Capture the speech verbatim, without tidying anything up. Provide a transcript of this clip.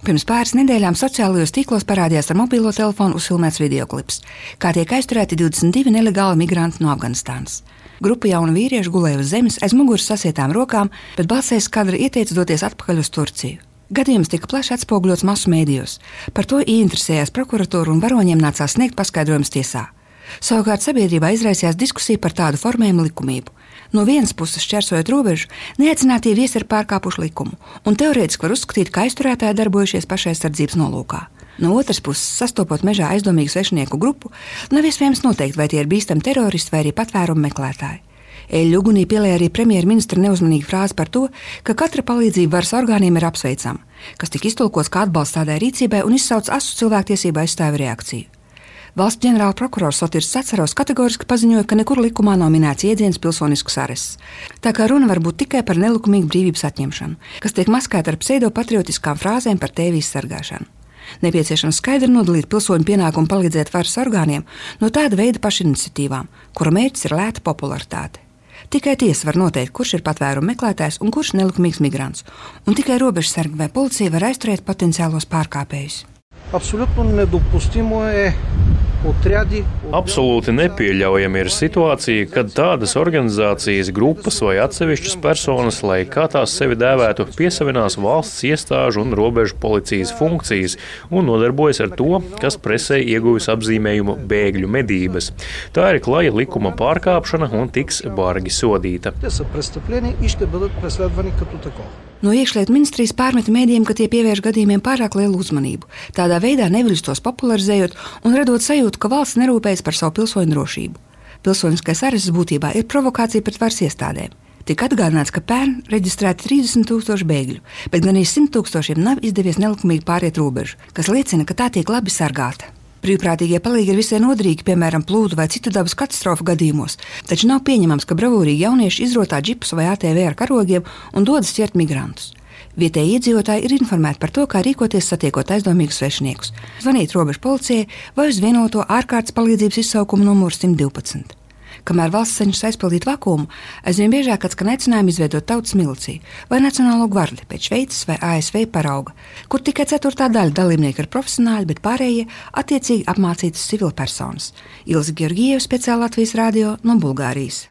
Pirms pāris nedēļām sociālajos tīklos parādījās ar mobilo telefonu uzfilmēts videoklips, kā tiek aizturēti divdesmit divi nelegāli migranti no Afganistānas. Grupa jaunu vīriešu gulēja uz zemes aiz muguras sasietām rokām, bet balsējs kadra ieteica doties atpakaļ uz Turciju. Gadījums tika plaši atspoguļots masu mēdījos. Par to ieinteresējās prokuratūra un varoņiem nācās sniegt paskaidrojumus tiesā. Savukārt sabiedrībā izraisījās diskusija par tādu formējumu likumību. No vienas puses, šķērsojot robežu, neaicinātie viesi ir pārkāpuši likumu, un teorētiski var uzskatīt, ka aizturētāji darbojušies pašaizsardzības nolūkā. No otras puses, sastopot mežā aizdomīgu svešinieku grupu, nav iespējams noteikt, vai tie ir bīstami teroristi vai arī patvērumu meklētāji. Eļļu ugunī pielēja arī premjerministra neuzmanīga frāze par to, ka katra palīdzība varas orgāniem ir apsveicama, kas tika iztulkots kā atbalsts tādai rīcībai un izsauc asu cilvēktiesību aizstāvju reakciju. Valsts ģenerāla prokurors Sotirs Cacarovs kategoriski paziņoja, ka nekur likumā nav minēts jēdziens pilsonisks arests. Tā kā runa var būt tikai par nelikumīgu brīvības atņemšanu, kas tiek maskēta ar pseidopatriotiskām frāzēm par tēvijas sargāšanu. Nepieciešams skaidri nodalīt pilsoņu pienākumu palīdzēt varas orgāniem no tāda veida pašiniciatīvām, kura mērķis ir lēta popularitāte. Tikai tiesa var noteikt, kurš ir patvērumu meklētājs un kurš nelikumīgs migrants, un tikai robežsargi vai policija var aizturēt potenciālos pārkāpējus. Абсолютно недопустимо е отряди. Absolūti nepieļaujama ir situācija, kad tādas organizācijas, grupas vai atsevišķas personas, lai kā tās sevi dēvētu, piesavinās valsts iestāžu un robežu policijas funkcijas un nodarbojas ar to, kas presē ieguvis apzīmējumu bēgļu medības. Tā ir klaja likuma pārkāpšana un tiks bargi sodīta. No iekšlietu ministrijas pārmeta mēdījiem, ka tie pievērš gadījumiem pārāk lielu uzmanību, tādā veidā neviļus tos popularizējot un radot sajūtu, ka valsts nerūpējas par savu pilsoņu drošību. Pilsoniskais arests būtībā ir provokācija pret varas iestādēm. Tika atgādināts, ka pērn reģistrēti trīsdesmit tūkstoši bēgļu, bet gan arī simt tūkstošiem nav izdevies nelikumīgi pāriet robežu, kas liecina, ka tā tiek labi sargāta. Brīvprātīgie palīgi ir visai noderīgi, piemēram, plūdu vai citu dabas katastrofu gadījumos, taču nav pieņemams, ka bravūrīgi jaunieši izrotā džipus vai A T V ar karogiem un dodas ķert migrantus. Vietēji iedzīvotāji ir informēti par to, kā rīkoties satiekot aizdomīgus svešniekus, zvanīt robežu policijai vai uz vienoto ārkārtas palīdzības izsaukumu numuru simt divpadsmit. Kamēr valsts cenšas aizpildīt vakuumu, aizvien biežāk atskan aicinājumi izveidot tautas miliciju vai nacionālo gvardi pēc Šveices vai A S V parauga, kur tikai ceturtā daļa dalībnieku ir profesionāļi, bet pārējie attiecīgi apmācītas civilpersonas. Ilze Georgieva, speciāli Latvijas radio no Bulgārijas.